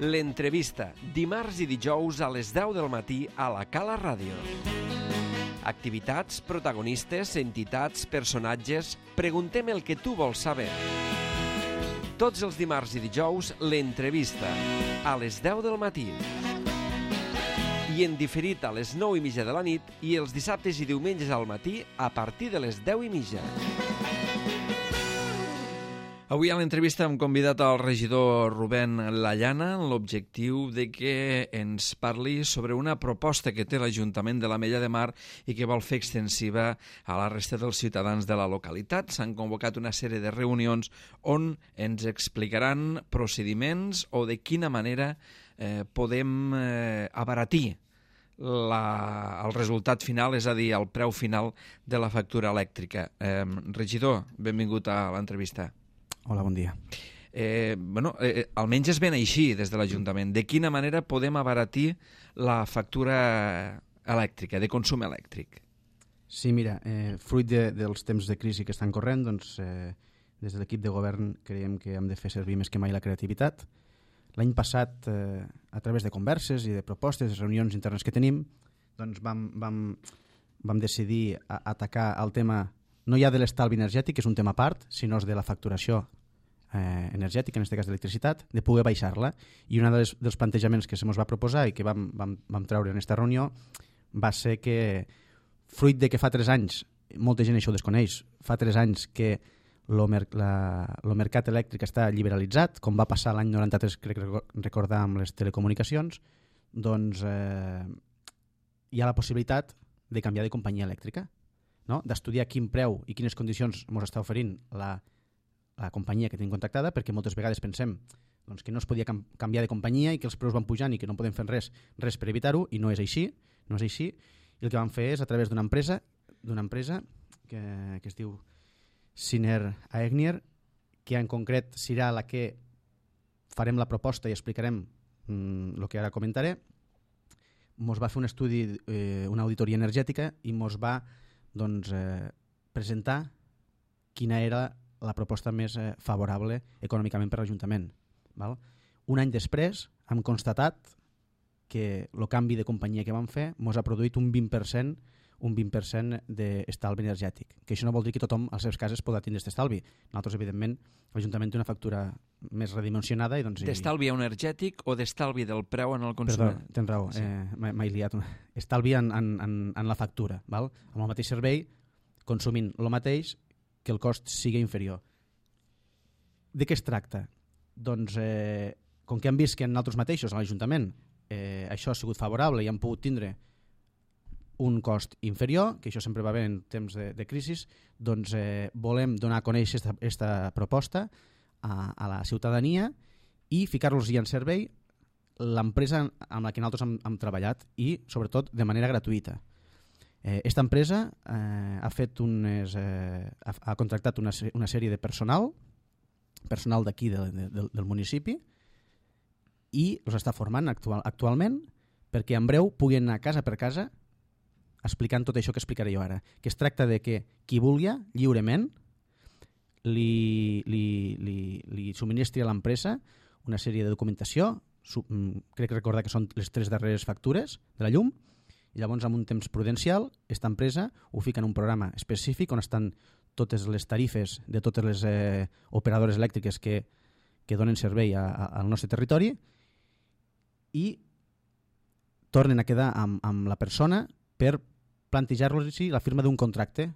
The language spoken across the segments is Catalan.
L'entrevista, dimarts i dijous a les 10 del matí a la Cala Ràdio. Activitats, protagonistes, entitats, personatges... Preguntem el que tu vols saber. Tots els dimarts i dijous, l'entrevista, a les 10 del matí. I en diferit a les 9:30 de la nit i els dissabtes i diumenges al matí a partir de les 10:30. Avui a l'entrevista hem convidat al regidor Rubén Lallana amb l'objectiu de que ens parli sobre una proposta que té l'Ajuntament de l'Ametlla de Mar i que vol fer extensiva a la resta dels ciutadans de la localitat. S'han convocat una sèrie de reunions on ens explicaran procediments o de quina manera podem abaratir el resultat final, és a dir, el preu final de la factura elèctrica. Regidor, benvingut a l'entrevista. Hola, bon dia. Almenys es ven així des de l'Ajuntament. De quina manera podem abaratir la factura elèctrica, de consum elèctric? Sí, mira, fruit dels temps de crisi que estan corrent, doncs, des de l'equip de govern creiem que hem de fer servir més que mai la creativitat. L'any passat, a través de converses i de propostes, reunions internes que tenim, doncs vam decidir atacar el tema no ja de l'estalvi energètic, que és un tema a part, sinó de la facturació energètica, en aquest cas d'electricitat, de poder baixar-la. I un dels plantejaments que se ens va proposar i que vam treure en aquesta reunió va ser que, fruit de que fa 3 anys, molta gent això ho desconeix, fa 3 anys que el mercat elèctric està liberalitzat, com va passar l'any 93, crec recordar, amb les telecomunicacions, doncs hi ha la possibilitat de canviar de companyia elèctrica, no? D'estudiar quin preu i quines condicions ens està oferint la companyia que tenim contractada, perquè moltes vegades pensem doncs, que no es podia canviar de companyia i que els preus van pujant i que no podem fer res per evitar-ho, i no és així. I el que vam fer és, a través d'una empresa que es diu Siner Aegnier, que en concret serà la que farem la proposta i explicarem el que ara comentaré. Ens va fer un estudi, una auditoria energètica, i ens va presentar quina era la proposta més favorable econòmicament per a l'Ajuntament. Un any després hem constatat que el canvi de companyia que vam fer ens ha produït un 20% d'estalvi energètic, que això no vol dir que tothom a les seves cases podrà tindre aquest estalvi. Nosaltres, evidentment, l'Ajuntament té una factura més redimensionada. D'estalvi energètic o d'estalvi del preu en el consum? Perdó, tens raó, sí. M'he liat. Estalvi en la factura, val? Amb el mateix servei, consumint el mateix, que el cost sigui inferior. De què es tracta? Doncs, com que hem vist que en nosaltres mateixos, a l'Ajuntament, això ha sigut favorable i hem pogut tindre un cost inferior, que això sempre va bé en temps de crisi, doncs volem donar a conèixer aquesta proposta a la ciutadania i ficar-los-hi en servei l'empresa amb la que nosaltres hem treballat, i sobretot de manera gratuïta. Aquesta empresa ha contractat una sèrie de personal d'aquí del municipi, i els està formant actualment perquè en breu puguin anar casa per casa explicant tot això que explicaré jo ara, que es tracta de que qui vulgui lliurement li subministri a l'empresa una sèrie de documentació, crec recordar que són les 3 darreres factures de la llum, i llavors amb un temps prudencial aquesta empresa ho fica en un programa específic on estan totes les tarifes de totes les operadores elèctriques que donen servei al nostre territori, i tornen a quedar amb la persona per plantejar-los la firma d'un contracte.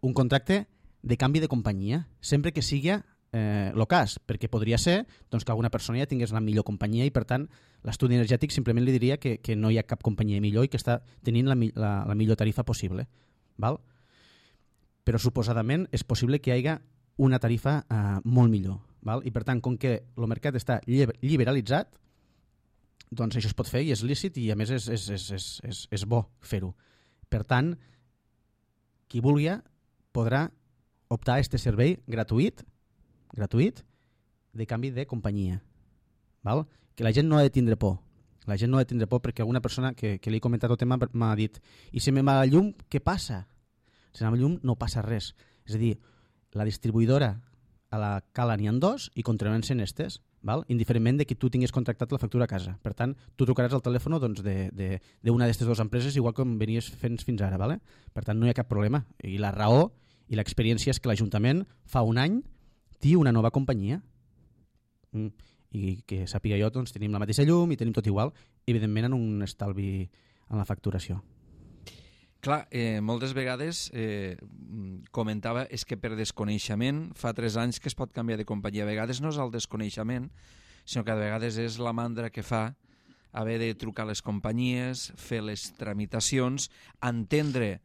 Un contracte de canvi de companyia, sempre que sigui el cas, perquè podria ser doncs, que alguna persona ja tingués la millor companyia i, per tant, l'estudi energètic simplement li diria que no hi ha cap companyia millor i que està tenint la millor tarifa possible. Val? Però suposadament és possible que hi hagi una tarifa molt millor. Val? I, per tant, com que el mercat està liberalitzat, doncs això es pot fer i és lícit, i a més és bo fer-ho. Per tant, qui vulgui podrà optar a aquest servei gratuït de canvi de companyia. Val? Que la gent no ha de tindre por. La gent no ha de tindre por, perquè alguna persona que li he comentat el tema m'ha dit: i si me'n va la llum, què passa? Si me'n va la llum no passa res. És a dir, la distribuïdora a la Cala n'hi ha 2 i continuen sent estes. val? Indiferentment de que tu tinguis contractat la factura a casa. Per tant, tu trucaràs al telèfon doncs, d'una d'aquestes dues empreses igual com venies fent fins ara. Vale? Per tant, no hi ha cap problema. I la raó i l'experiència és que l'Ajuntament fa un any té una nova companyia. I que sàpiga jo, doncs, tenim la mateixa llum i tenim tot igual, evidentment en un estalvi en la facturació. Clar, moltes vegades comentava és que per desconeixement fa 3 anys que es pot canviar de companyia. A vegades no és el desconeixement, sinó que a vegades és la mandra que fa haver de trucar a les companyies, fer les tramitacions, entendre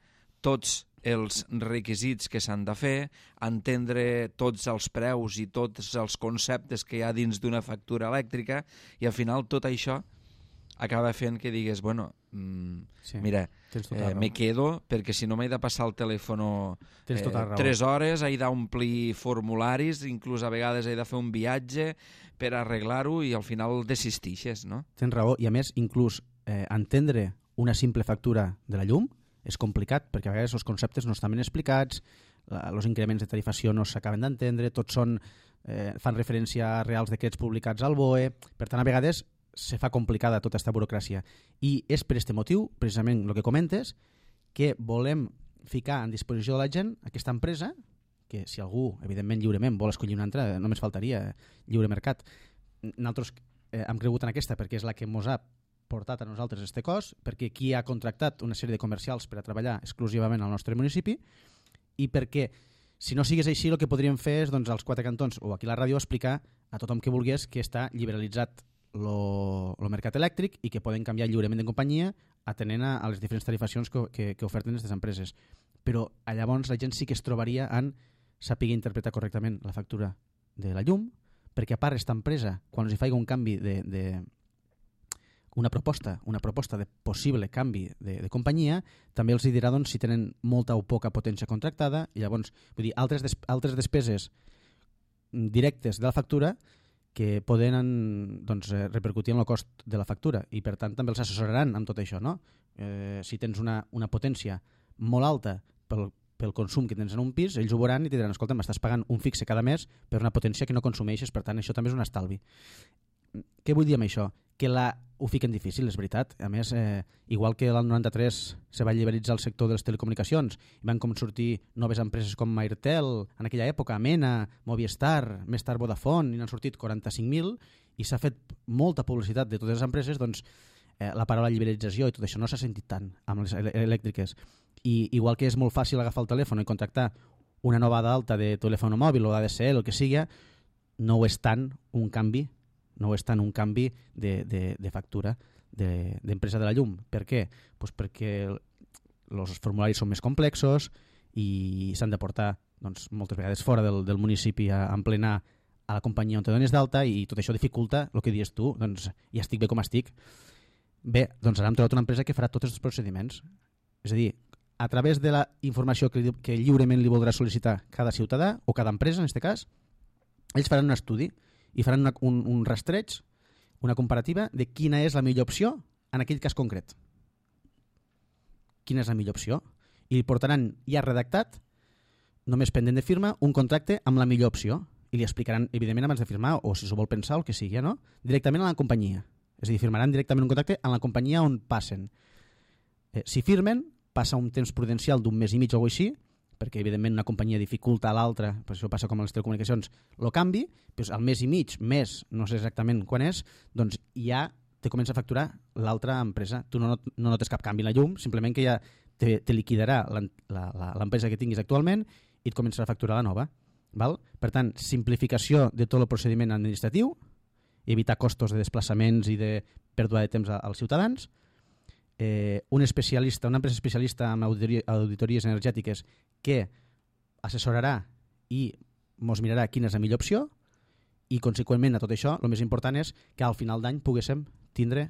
tots els requisits que s'han de fer, entendre tots els preus i tots els conceptes que hi ha dins d'una factura elèctrica, i al final tot això acaba fent que digues, bueno, mira, me quedo perquè si no m'he de passar el telèfon 3 hores, he d'omplir formularis, inclús a vegades he de fer un viatge per arreglar-ho i al final desistixes, no? Tens raó, i a més, inclús entendre una simple factura de la llum és complicat, perquè a vegades els conceptes no estan ben explicats, els increments de tarifació no s'acaben d'entendre, tots fan referència a reals decrets publicats al BOE, per tant, a vegades se fa complicada tota aquesta burocràcia. I és per aquest motiu, precisament el que comentes, que volem ficar en disposició de la gent aquesta empresa, que si algú, evidentment, lliurement vol escollir una altra, només faltaria lliure mercat. Nosaltres hem cregut en aquesta perquè és la que ens ha portat a nosaltres este cost, perquè qui ha contractat una sèrie de comercials per a treballar exclusivament al nostre municipi, i perquè si no sigués així el que podríem fer és doncs, als 4 cantons o aquí a la ràdio explicar a tothom que volgués que està liberalitzat el mercat elèctric i que poden canviar lliurement de companyia atenent a les diferents tarifacions que oferten aquestes empreses. Però llavors la gent sí que es trobaria en saber interpretar correctament la factura de la llum, perquè a part aquesta empresa, quan els hi faig un canvi una proposta de possible canvi de companyia, també els dirà doncs, si tenen molta o poca potència contractada, i llavors vull dir, altres despeses directes de la factura que poden doncs, repercutir en el cost de la factura, i per tant també els assessoraran amb tot això, no? Si tens una potència molt alta pel consum que tens en un pis, ells ho veuran i te diran, escolta, m'estàs pagant un fixe cada mes per una potència que no consumeixes, per tant això també és un estalvi. Què vull dir amb això? Que ho fiquen difícil, és veritat. A més, igual que l'any 93 se va liberalitzar el sector de les telecomunicacions i van com sortir noves empreses com Airtel, en aquella època, Mena, Movistar, més tard Vodafone, i n'han sortit 45.000 i s'ha fet molta publicitat de totes les empreses, doncs la paraula liberalització i tot això no s'ha sentit tant amb les elèctriques. I igual que és molt fàcil agafar el telèfon i contractar una nova d'alta de telèfon mòbil o d'ADSL, el que sigui, no ho és tant un canvi de factura d'empresa de la llum. Per què? Pues perquè els formularis són més complexos i s'han de portar doncs, moltes vegades fora del municipi a emplenar a la companyia on te dones d'alta, i tot això dificulta el que dius tu, doncs ja estic bé com estic. Bé, doncs ara hem trobat una empresa que farà tots els procediments. És a dir, a través de la informació que lliurement li voldrà sol·licitar cada ciutadà o cada empresa, en aquest cas, ells faran un estudi i faran un rastreig, una comparativa de quina és la millor opció en aquell cas concret. Quina és la millor opció? I li portaran ja redactat, només pendent de firma, un contracte amb la millor opció. I li explicaran, evidentment, abans de firmar, o si s'ho vol pensar o el que sigui, no? Directament a la companyia. És a dir, firmaran directament un contracte en la companyia on passen. Si firmen, passa un temps prudencial d'un mes i mig o així, perquè evidentment una companyia dificulta a l'altra, per això passa com a les telecomunicacions, el canvi, doncs al mes i mig, mes, no sé exactament quan és, doncs ja te comença a facturar l'altra empresa. Tu no notes cap canvi en la llum, simplement que ja te liquidarà l'empresa que tinguis actualment i et començarà a facturar la nova. Val? Per tant, simplificació de tot el procediment administratiu, evitar costos de desplaçaments i de pèrdua de temps als ciutadans, una empresa especialista en auditories energètiques que assessorarà i ens mirarà quina és la millor opció, i conseqüentment a tot això el més important és que al final d'any poguéssim tindre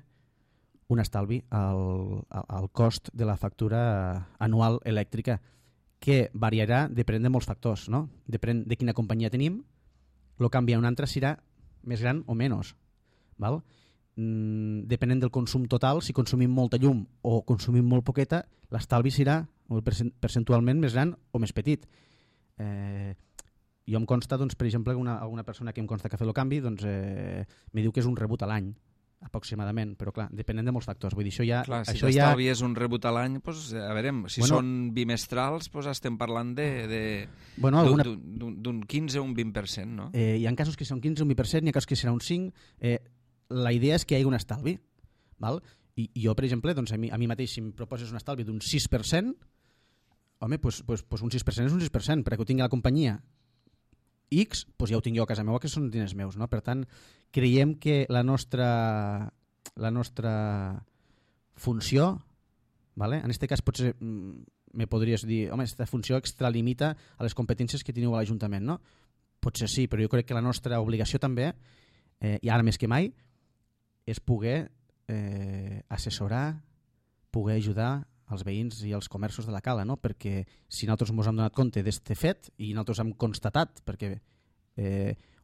un estalvi al cost de la factura anual elèctrica, que variarà depenent de molts factors, no? Depèn de quina companyia tenim, el canvi a una altra serà més gran o menys, val? Depenent del consum total, si consumim molta llum o consumim molt poqueta, l'estalvi serà percentualment més gran o més petit. jo em consta, doncs, per exemple, alguna persona que em consta que ha fet el canvi doncs, me diu que és un rebut a l'any, aproximadament, però clar, depenent de molts factors. Vull dir, això ja... Clar, si això t'estalvi és un rebut a l'any, doncs, a veure, si Bueno, són bimestrals, doncs estem parlant Bueno, d'un 15 o un 20%, no? Hi ha casos que són 15 o un 20%, hi ha casos que serà un 5%. La idea és que hi hagi un estalvi. Val? I jo, per exemple, doncs, a mi mateix, si em proposes un estalvi d'un 6%, home, doncs un 6% és un 6%, perquè ho tingui la companyia X, doncs ja ho tinc jo a casa meva, que són diners meus. No? Per tant, creiem que la nostra funció, ¿vale? En aquest cas potser me podries dir, home, aquesta funció extralimita a les competències que teniu a l'Ajuntament, no? Potser sí, però jo crec que la nostra obligació també, i ara més que mai, és poder assessorar, poder ajudar als veïns i als comerços de la Cala, no? Perquè si nosaltres ens hem donat compte d'este fet i nosaltres hem constatat, perquè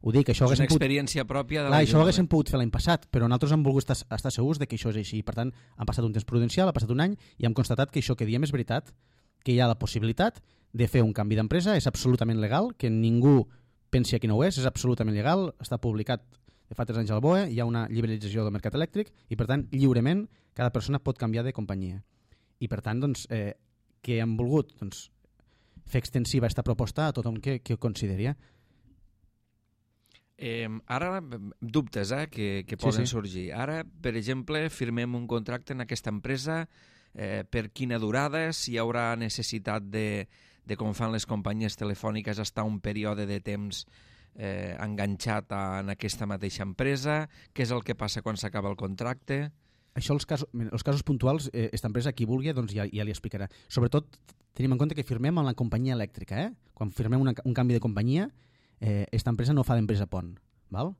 ho dic, això és una experiència pròpia de això ho haguéssim pogut fer l'any passat, però nosaltres hem volgut estar segurs de que això és així. Per tant, han passat un temps prudencial, ha passat un any i hem constatat que això que diem és veritat, que hi ha la possibilitat de fer un canvi d'empresa, és absolutament legal, que ningú pensi que no ho és absolutament legal, està publicat de fa 3 anys al BOE, hi ha una liberalització del mercat elèctric i per tant, lliurement, cada persona pot canviar de companyia. I per tant, doncs, que hem volgut doncs, fer extensiva aquesta proposta a tothom que ho consideri. Ara, dubtes que poden sorgir. Ara, per exemple, firmem un contracte en aquesta empresa, per quina durada, si hi haurà necessitat de com fan les companyies telefòniques, estar un període de temps enganxat en aquesta mateixa empresa, què és el que passa quan s'acaba el contracte... Això, els casos puntuals, aquesta empresa, qui vulgui, doncs ja li explicarà. Sobretot, tenim en compte que firmem amb la companyia elèctrica. Quan firmem un canvi de companyia, aquesta empresa no fa d'empresa pont. Val?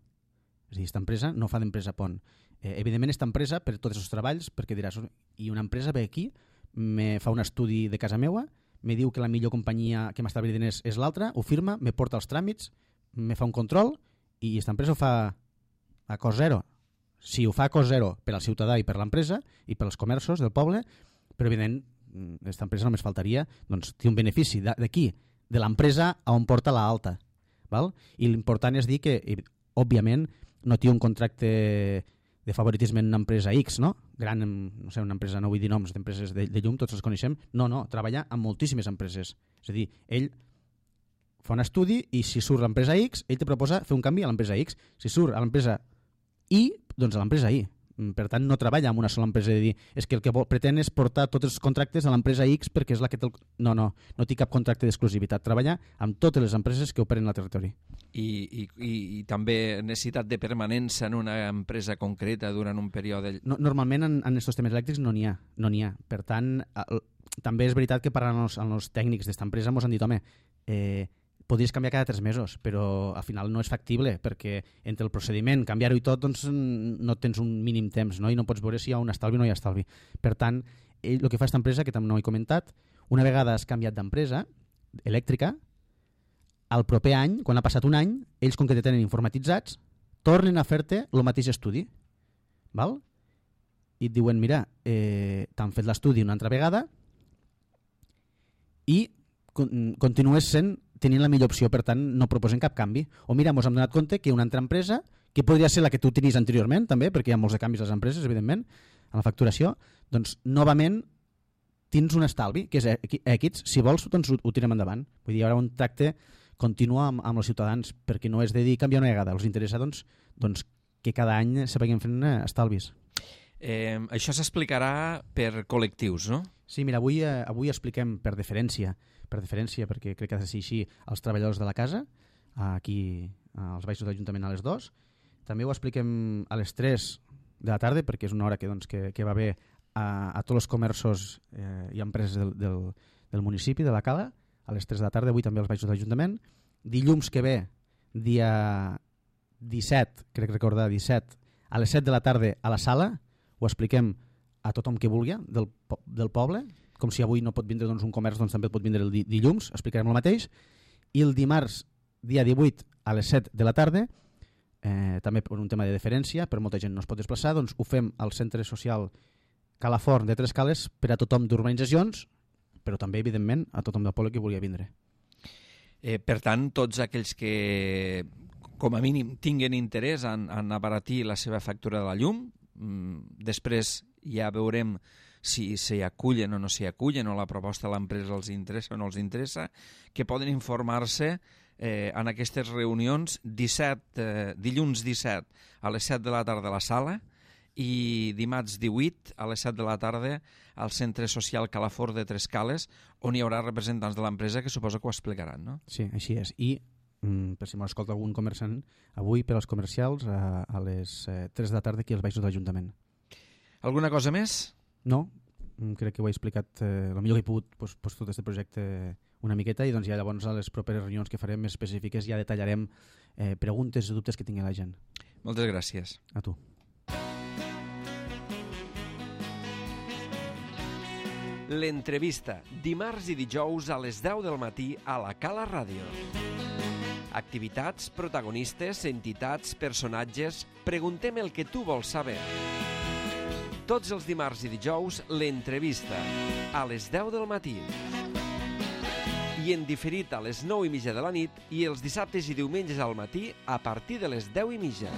És a dir, aquesta empresa no fa d'empresa pont. Evidentment, aquesta empresa, per tots els treballs, perquè diràs, i una empresa ve aquí, me fa un estudi de casa meua, me diu que la millor companyia que m'estalvi diners és l'altra, ho firma, me porta els tràmits, me fa un control, i aquesta empresa ho fa a cost zero. Si ho fa a cost zero per al ciutadà i per l'empresa i per als comerços del poble, però evident, aquesta empresa només faltaria, doncs té un benefici d'aquí, de l'empresa a on porta l'alta. I l'important és dir que, òbviament, no té un contracte de favoritisme en una empresa X, no? Gran, no sé, una empresa, no vull dir noms d'empreses de llum, tots els coneixem. No, treballa amb moltíssimes empreses. És a dir, ell fa un estudi i si surt l'empresa X, ell te proposa fer un canvi a l'empresa X. Si surt a l'empresa Y, doncs a l'empresa Y. Per tant, no treballa amb una sola empresa de dir és que el que pretén és portar tots els contractes a l'empresa X perquè és la que té... No té cap contracte d'exclusivitat. Treballa amb totes les empreses que operen al territori. I també necessitat de permanència en una empresa concreta durant un període... Normalment en aquests temes elèctrics no n'hi ha. Per tant, també és veritat que parlant amb els tècnics d'esta empresa ens han dit, home, podries canviar cada 3 mesos, però al final no és factible, perquè entre el procediment, canviar-ho i tot, doncs no tens un mínim temps, no? I no pots veure si hi ha un estalvi o no hi ha estalvi. Per tant, el que fa aquesta empresa, que també no he comentat, una vegada has canviat d'empresa elèctrica, al proper any, quan ha passat un any, ells, com que te tenen informatitzats, tornen a fer-te el mateix estudi. Val? I et diuen, mira, t'han fet l'estudi una altra vegada i continues tenint la millor opció, per tant no proposen cap canvi. O mira, ens hem donat compte que una altra empresa, que podria ser la que tu tenies anteriorment també, perquè hi ha molts de canvis a les empreses, evidentment, a la facturació, doncs novament tens un estalvi, que és Equids, si vols doncs ho tirem endavant. Vull dir, hi haurà un tracte continu amb els ciutadans, perquè no és de dir canviar una vegada, els interessa doncs que cada any se vagin fent estalvis. Això s'explicarà per col·lectius, no? Sí, mira, avui expliquem per deferència, perquè crec que ha de ser així, als treballadors de la casa, aquí als baixos de l'Ajuntament a les 2. També ho expliquem a les 3 de la tarda, perquè és una hora que va bé a tots els comerços i empreses del municipi, de la Cala, a les 3 de la tarda, avui també als baixos de l'Ajuntament. Dilluns que ve, dia 17, crec recordar, 17, a les 7 de la tarda a la sala, ho expliquem a tothom que vulgui del poble, com si avui no pot vindre un comerç, doncs també pot vindre el dilluns, explicarem el mateix. I el dimarts, dia 18, a les 7 de la tarda, també per un tema de deferència, per molta gent no es pot desplaçar, doncs ho fem al centre social Calaforn de Tres Cales per a tothom d'urbanitzacions, però també, evidentment, a tothom del poble que volia vindre. Per tant, tots aquells que, com a mínim, tinguen interès en abaratir la seva factura de la llum, després ja veurem si s'hi acullen o no s'hi acullen, o la proposta de l'empresa els interessa o no els interessa, que poden informar-se en aquestes reunions dilluns 17 a les 7 de la tarda a la sala i dimarts 18 a les 7 de la tarda al Centre Social Calafort de Trescales, on hi haurà representants de l'empresa que suposo que ho explicaran, no? Sí, així és. I per si m'escolta algun comerciant, avui per als comercials a les 3 de la tarda aquí als baixos de l'Ajuntament. Alguna cosa més? No, crec que ho he explicat el millor que he pogut tot aquest projecte una miqueta, i doncs ja llavors a les properes reunions que farem més específiques ja detallarem preguntes i dubtes que tingui la gent. Moltes gràcies. A tu. L'entrevista, dimarts i dijous a les 10 del matí a la Cala Ràdio. Activitats, protagonistes, entitats, personatges... Preguntem el que tu vols saber. Tots els dimarts i dijous, l'entrevista, a les 10 del matí. I en diferit a les 9:30 de la nit i els dissabtes i diumenges al matí a partir de les 10:30.